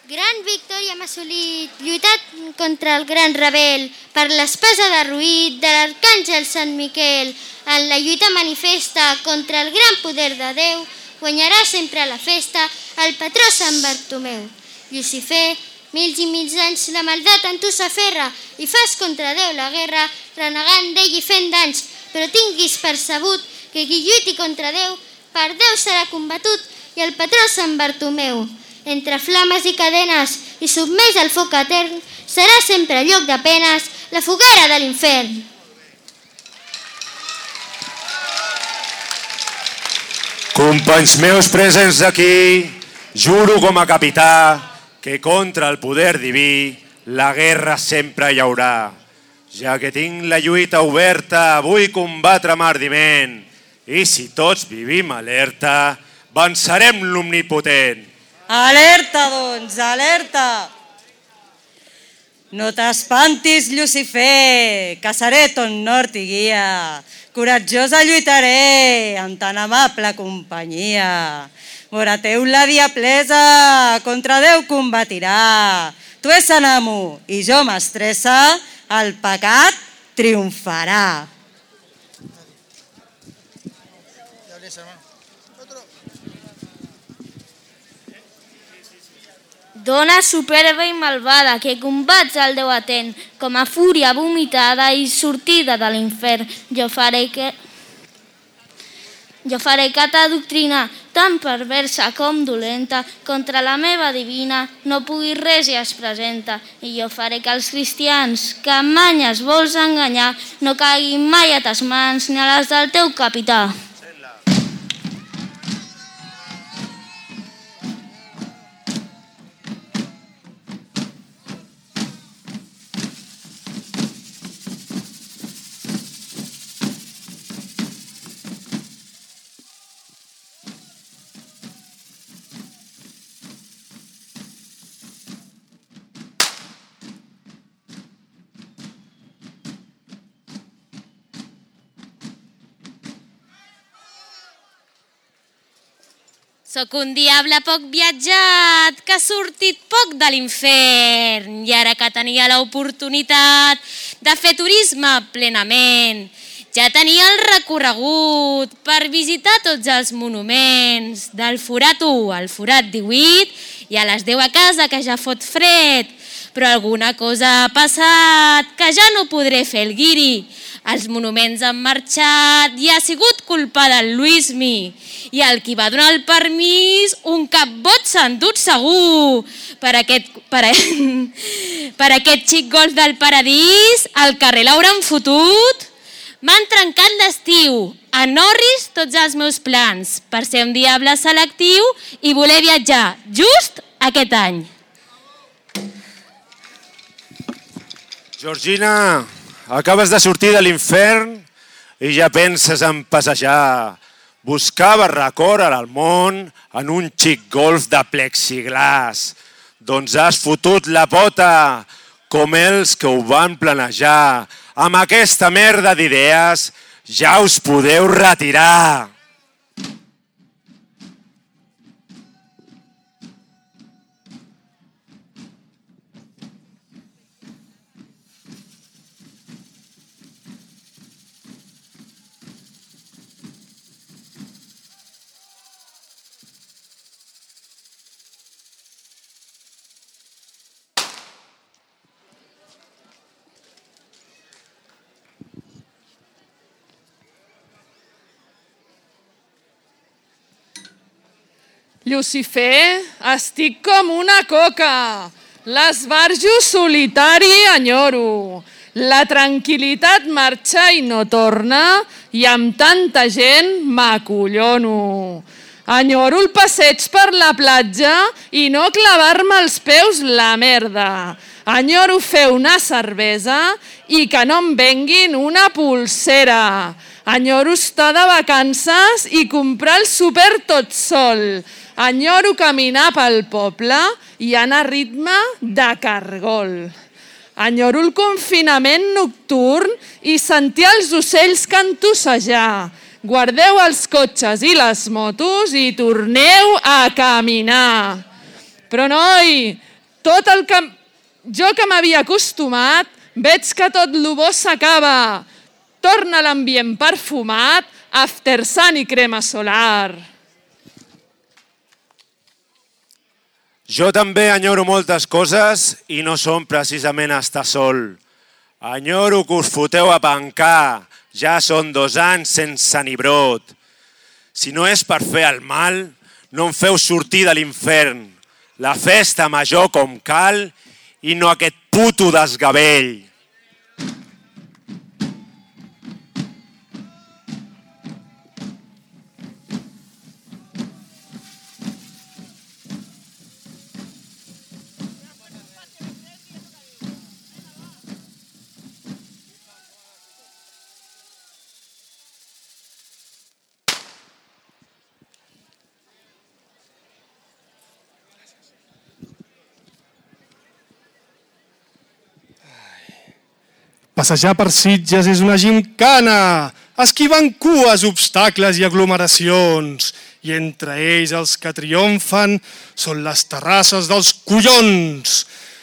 Gran victòria hem assolit, lluitat contra el gran rebel, per l'espasa de Ruït de l'arcàngel Sant Miquel. En la lluita manifesta contra el gran poder de Déu, guanyarà sempre la festa el patró Sant Bartomeu. Llucifer, mils i mils anys la maldat en tu s'aferra i fas contra Déu la guerra, renegant d'ell i fent danys, però tinguis percebut que qui lluiti contra Déu, per Déu serà combatut i el patró Sant Bartomeu. Entre flames i cadenes i submès al foc etern, serà sempre lloc de penes la foguera de l'infern. Companys meus presents aquí, juro com a capità que contra el poder diví la guerra sempre hi haurà. Ja que tinc la lluita oberta, vull combatre amb ardiment. I si tots vivim alerta, vencerem l'omnipotent. Alerta, doncs, alerta! No t'espantis, Llucifer, que seré ton nord i guia. Coratjosa lluitaré amb tan amable companyia. Vora teu la diablesa contra Déu combatirà. Tu és en amo i jo mestressa, el pecat triomfarà. Dona superba i malvada, que combats el Déu atent, com a fúria vomitada i sortida de l'infern. Jo faré que ta doctrina, tan perversa com dolenta, contra la meva divina no pugui res i es presenta. I jo faré que els cristians, que amb manyes vols enganyar, no caiguin mai a tes mans ni a les del teu capità. Soc un diable poc viatjat, que ha sortit poc de l'infern i ara que tenia l'oportunitat de fer turisme plenament, ja tenia el recorregut per visitar tots els monuments, del forat 1 al forat 18 i a les 10 a casa que ja fot fred, però alguna cosa ha passat que ja no podré fer el guiri. Els monuments han marxat i ha sigut culpa del Luismi. I el qui va donar el permís, un capbot s'ha endut segur. Per aquest xic golf del paradís, al carrer l'hauran fotut. M'han trencat l'estiu, en Norris tots els meus plans, per ser un diable selectiu i voler viatjar just aquest any. Georgina, acabes de sortir de l'infern i ja penses en passejar. Buscaves record al món en un xic golf de plexiglàs. Doncs has fotut la pota, com els que ho van planejar. Amb aquesta merda d'idees ja us podeu retirar. Llucifer, estic com una coca. L'esbarjo solitari enyoro. La tranquil·litat marxa i no torna i amb tanta gent m'acollono. Enyoro el passeig per la platja i no clavar-me els peus la merda. Enyoro fer una cervesa i que no em venguin una pulsera. Enyoro estar de vacances i comprar el súper tot sol. Enyoro caminar pel poble i anar a ritme de cargol. Enyoro el confinament nocturn i sentir els ocells cantussejar. Guardeu els cotxes i les motos i torneu a caminar. Però noi, Tot el que jo que m'havia acostumat, veig que tot lo bo s'acaba. Torna l'ambient perfumat, after sun i crema solar. Jo també enyoro moltes coses i no som precisament estar sol. Enyoro que us foteu a pencar, ja són 2 anys sense ni brot. Si no és per fer el mal, no em feu sortir de l'infern. La festa major com cal i no aquest puto desgavell. Passejar per Sitges és una gimcana, esquivant cues, obstacles i aglomeracions. I entre ells els que triomfen són les terrasses dels collons.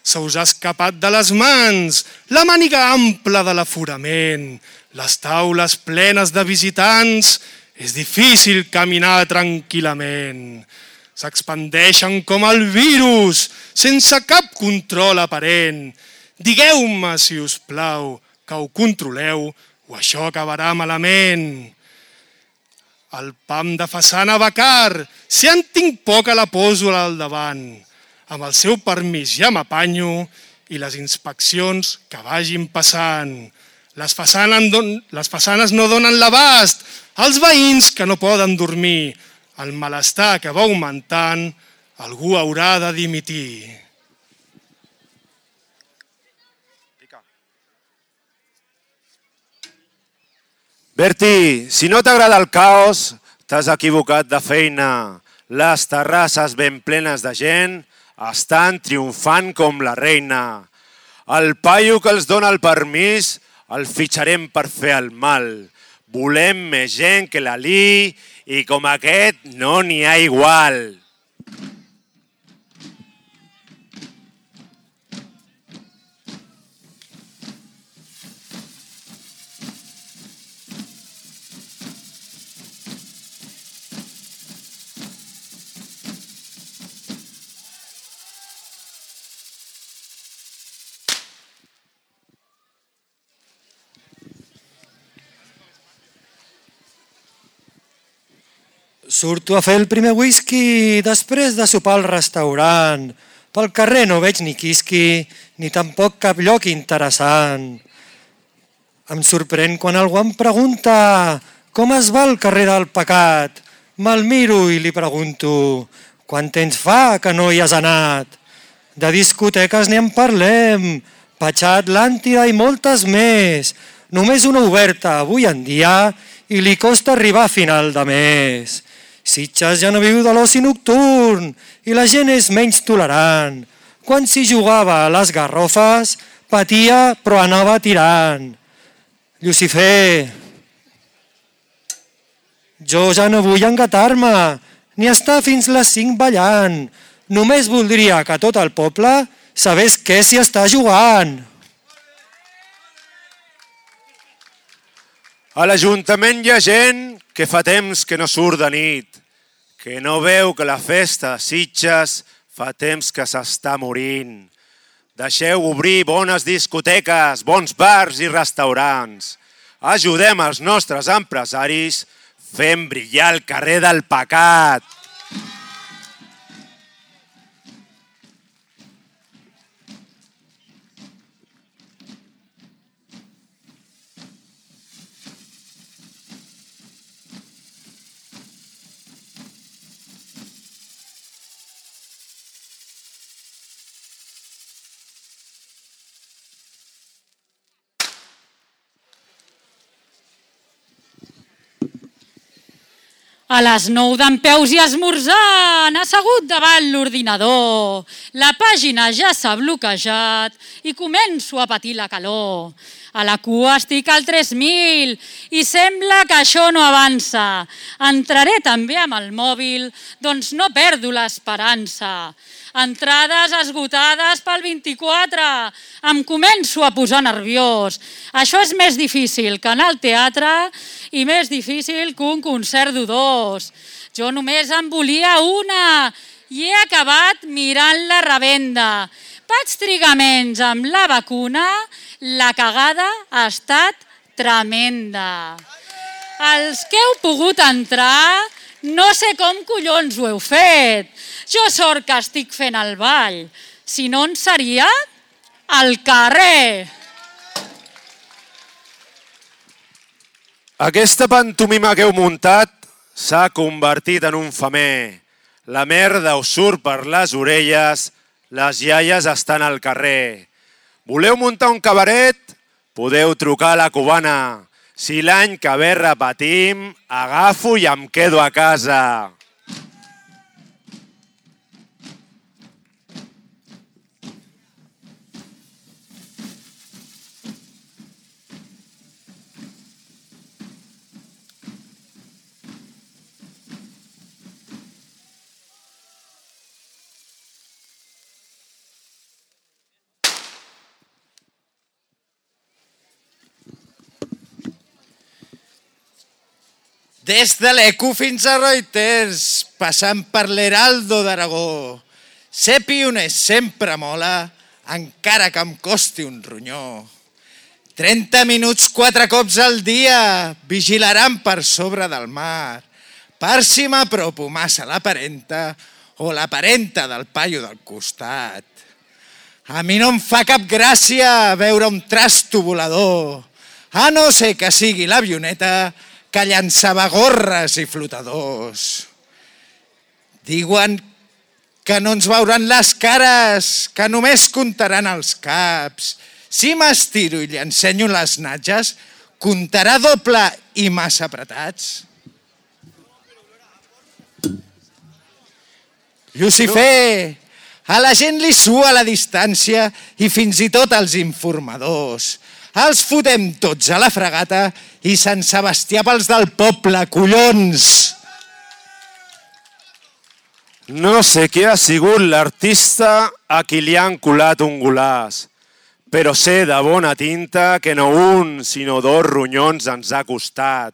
Se us ha escapat de les mans la màniga ampla de l'aforament. Les taules plenes de visitants, és difícil caminar tranquil·lament. S'expandeixen com el virus, sense cap control aparent. Digueu-me, si us plau, que ho controleu o això acabarà malament. El pam de façana Bacar, si en tinc poca la poso al davant. Amb el seu permís ja m'apanyo i les inspeccions que vagin passant. Les façanes no donen l'abast als veïns que no poden dormir. El malestar que va augmentant, algú haurà de dimitir. Berti, si no t'agrada el caos, t'has equivocat de feina. Les terrasses ben plenes de gent estan triomfant com la reina. El paio que els dona el permís el fitxarem per fer el mal. Volem més gent que l'Ali i com aquest no n'hi ha igual. Surto a fer el primer whisky després de sopar al restaurant. Pel carrer no veig ni quisqui, ni tampoc cap lloc interessant. Em sorprèn quan algú em pregunta com es va el carrer del pecat. Me'l miro i li pregunto quant temps fa que no hi has anat. De discoteques ni en parlem, Patxà Atlàntida i moltes més. Només una oberta avui en dia i li costa arribar a final de mes. Sitges ja no viu de l'oci nocturn i la gent és menys tolerant. Quan s'hi jugava a les garrofes, patia però anava tirant. Llucifer, jo ja no vull engatar-me ni estar fins les 5 ballant. Només voldria que tot el poble sabés què s'hi està jugant. A l'Ajuntament hi ha gent que fa temps que no surt de nit, que no veu que la festa de Sitges fa temps que s'està morint. Deixeu obrir bones discoteques, bons bars i restaurants. Ajudem els nostres empresaris fent brillar el carrer del pecat. A les 9 dempeus i esmorzant, assegut davant l'ordinador. La pàgina ja s'ha bloquejat i començo a patir la calor. A la cua estic al 3.000 i sembla que això no avança. Entraré també amb el mòbil, doncs no perdo l'esperança. Entrades esgotades pel 24. Em començo a posar nerviós. Això és més difícil que anar al teatre i més difícil que un concert d'U2. Jo només en volia una i he acabat mirant la revenda. Vaig trigar menys amb la vacuna, la cagada ha estat tremenda. Els que heu pogut entrar, no sé com collons ho heu fet. Jo sort que estic fent el ball, si no en seria al carrer. Aquesta pantomima que heu muntat s'ha convertit en un femer. La merda us surt per les orelles, les iaies estan al carrer. Voleu muntar un cabaret? Podeu trucar a la cubana. Si l'any que ve repetim, agafo i em quedo a casa. Des de l'ECU fins a Reuters, passant per l'Heraldo d'Aragó. Ser pioner sempre mola, encara que em costi un ronyó. 30 minuts 4 cops al dia vigilaran per sobre del mar, per si m'apropo massa la parenta o la parenta del paio del costat. A mi no em fa cap gràcia veure un trasto volador, a no ser que sigui l'avioneta que llançava gorres i flotadors. Diuen que no ens veuran les cares, que només comptaran els caps. Si m'estiro i li ensenyo les natges, comptarà doble i massa apretats. Lucifer, a la gent li sua la distància i fins i tot als informadors. Els fotem tots a la fregata i Sant Sebastià pels del poble, collons! No sé qui ha sigut l'artista a qui li han colat un golaç, però sé de bona tinta que no un, sinó 2 ronyons ens ha costat.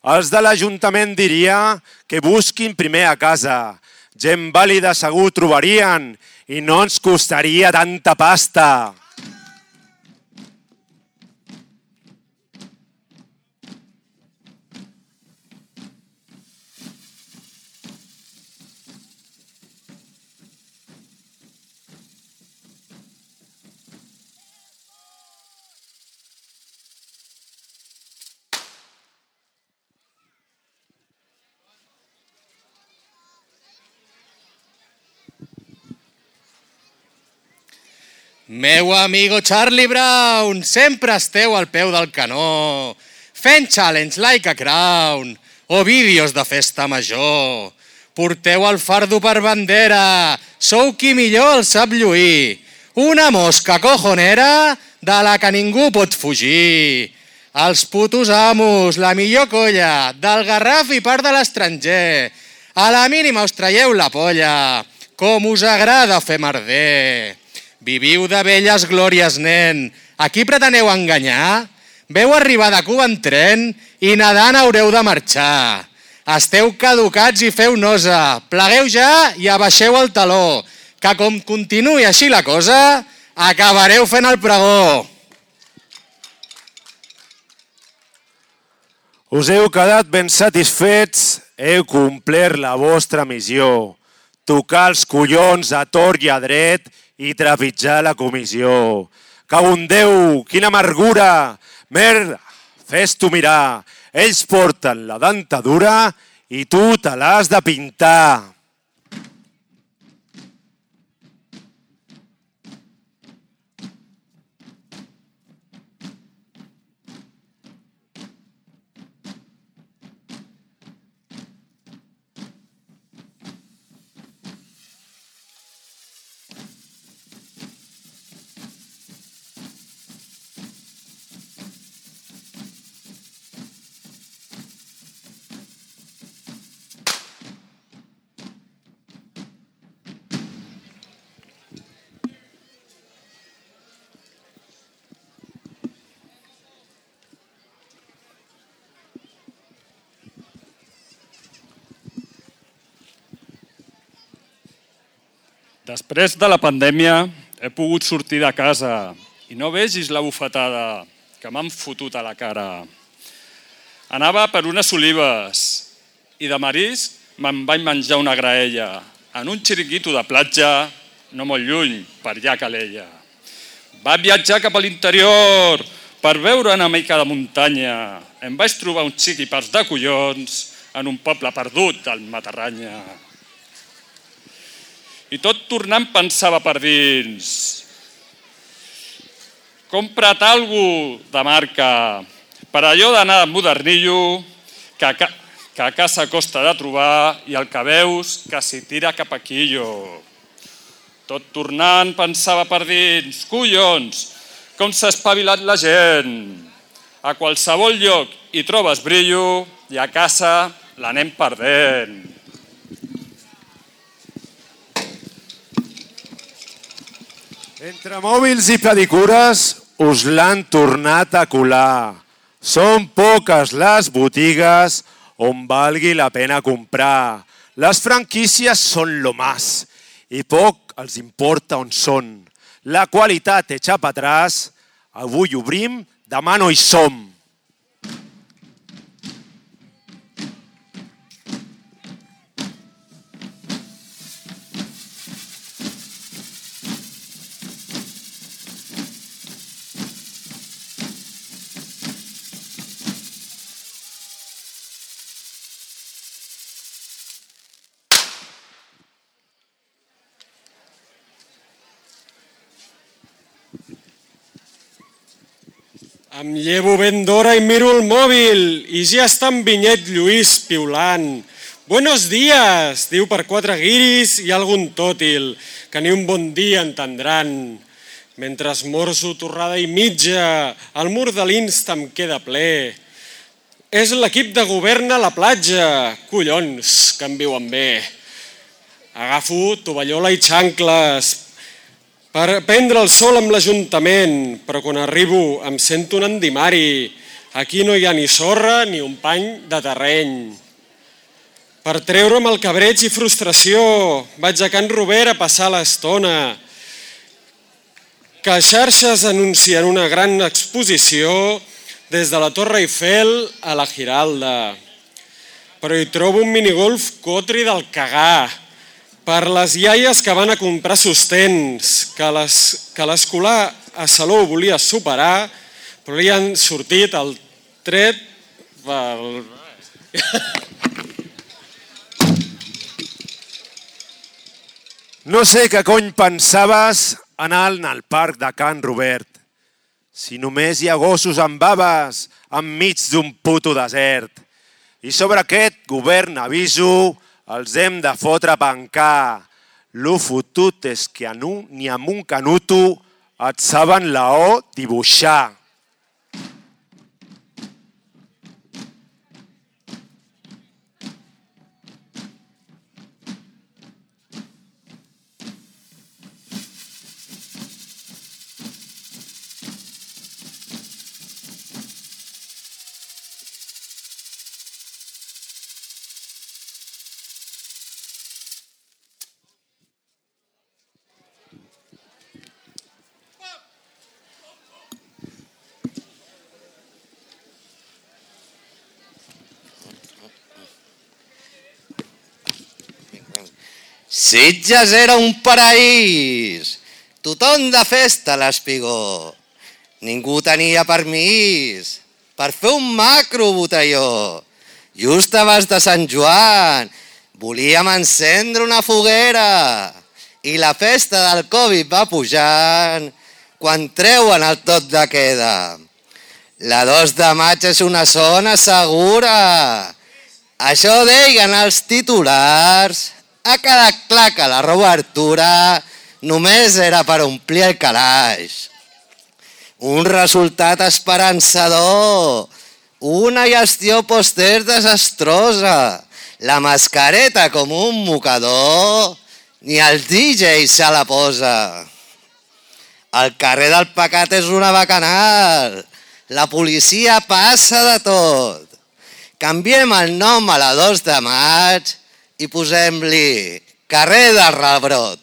Els de l'Ajuntament diria que busquin primer a casa. Gent vàlida segur trobarien i no ens costaria tanta pasta. Meu amigo Charlie Brown, sempre esteu al peu del canó, fent challenge like a crown o vídeos de festa major. Porteu el fardo per bandera, sou qui millor el sap lluir. Una mosca cojonera de la que ningú pot fugir. Els putos amos, la millor colla, del Garraf i part de l'estranger. A la mínima us traieu la polla, com us agrada fer merder. Viviu de velles glòries, nen. A qui preteneu enganyar? Veu arribar de Cuba en tren i nedant haureu de marxar. Esteu caducats i feu nosa. Plegueu ja i abaixeu el taló, que com continuï així la cosa, acabareu fent el pregó. Us heu quedat ben satisfets, heu complert la vostra missió. Tocar els collons a tort i a dret i trepitjar la comissió. Cago en Déu, quina amargura! Merda, fes-t'ho mirar. Ells porten la dentadura i tu te l'has de pintar. Després de la pandèmia he pogut sortir de casa i no vegis la bufetada que m'han fotut a la cara. Anava per unes olives i de marisc me'n vaig menjar una graella en un xiringuito de platja no molt lluny, per allà a Calella. Vaig viatjar cap a l'interior per veure una mica de muntanya. Em vaig trobar un xiquipars de collons en un poble perdut del Matarranya. I tot tornant pensava per dins. Compra't algú de marca per allò d'anar de modernillo que a casa costa de trobar i el que veus que s'hi tira cap a quillo. Tot tornant pensava per dins, collons, com s'ha espavilat la gent. A qualsevol lloc hi trobes brillo i a casa l'anem perdent. Entre mòbils i pedicures us l'han tornat a colar. Són poques les botigues on valgui la pena comprar. Les franquícies són lo más i poc els importa on són. La qualitat echa pa atrás, avui obrim, demà no hi som. Em llevo ben d'hora i miro el mòbil i ja està en Vinyet Lluís piulant. Buenos días, diu per 4 guiris i algun tòtil, que ni un bon dia entendran. Mentre esmorzo torrada i mitja, el mur de l'Insta em queda ple. És l'equip de govern a la platja, collons, que em viuen bé. Agafo tovallola i xancles per prendre el sol amb l'Ajuntament, però quan arribo em sento un endimari. Aquí no hi ha ni sorra ni un pany de terreny. Per treure'm el cabreig i frustració, vaig a Can Robert a passar l'estona. Que xarxes anuncien una gran exposició des de la Torre Eiffel a la Giralda. Però hi trobo un minigolf cotri del cagar. Per les iaies que van a comprar sostens, que l'escolar a Salou volia superar, però li han sortit el tret pel... No sé què cony pensaves anant al parc de Can Robert. Si només hi ha gossos amb baves enmig d'un puto desert. I sobre aquest govern aviso, els hem de fotre pencar. Lo fotut és que ni amb un canuto et saben la O dibuixar. Sitges era un paraís, tothom de festa a l'Espigó. Ningú tenia permís per fer un macro botelló. Just abans de Sant Joan volíem encendre una foguera i la festa del Covid va pujant quan treuen el toc de queda. La 2 de maig és una zona segura. Això deien els titulars. Ha quedat clar que la reobertura només era per omplir el calaix. Un resultat esperançador, una gestió poster desastrosa, la mascareta com un mocador, ni el DJ se la posa. El carrer del pecat és una bacanal, la policia passa de tot. Canviem el nom a la 2 de maig i posem-li carrer del rebrot.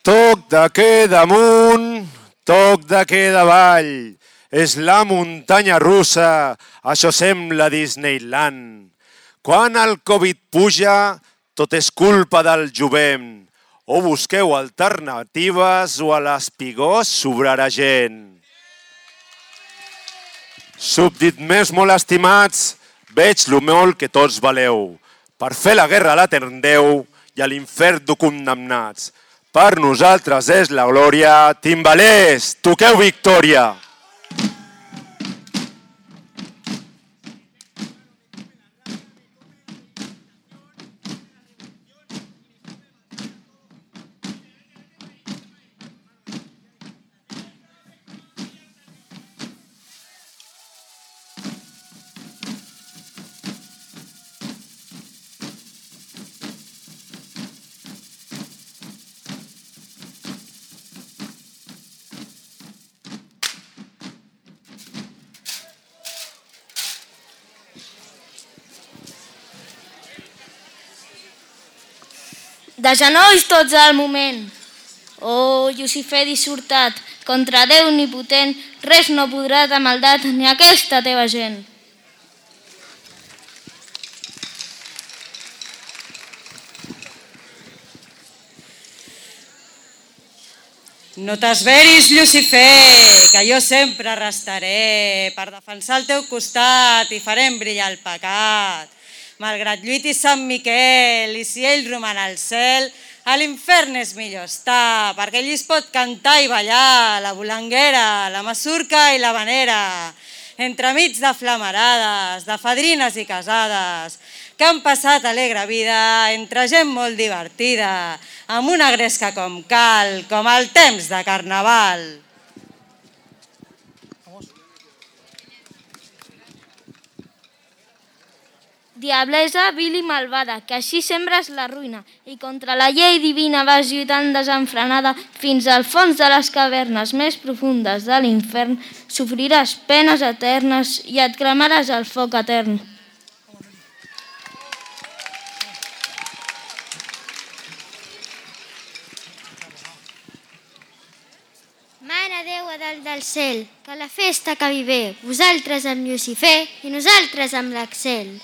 Toc de queda amunt, toc de queda avall. És la muntanya russa, això sembla Disneyland. Quan el Covid puja, tot és culpa del jovent. O busqueu alternatives o a l'espigó sobrarà gent. Súbdit més molt estimats, veig lo molt que tots valeu. Per fer la guerra la tendeu i a l'infern du condemnats. Per nosaltres és la glòria. Timbalers, toqueu victòria! De genolls tots al moment. Oh, Llucifer dissortat, contra Déu omnipotent, res no podrà de maldat ni aquesta teva gent. No t'esveris, Llucifer, que jo sempre restaré per defensar el teu costat i farem brillar el pecat. Malgrat lluiti Sant Miquel i si ell roman al cel, a l'infern és millor estar, perquè allí es pot cantar i ballar la bolanguera, la masurca i la vanera, entremig de flamarades, de fadrines i casades, que han passat alegre vida entre gent molt divertida, amb una gresca com cal, com el temps de carnaval. Diablesa, vil i malvada, que així sembres la ruïna, i contra la llei divina vas lluitant desenfrenada fins al fons de les cavernes més profundes de l'infern, sofriràs penes eternes i et cremaràs al foc etern. Mare Déu a dalt del cel, que la festa acabi bé, vosaltres amb Llucifer i nosaltres amb l'Axel.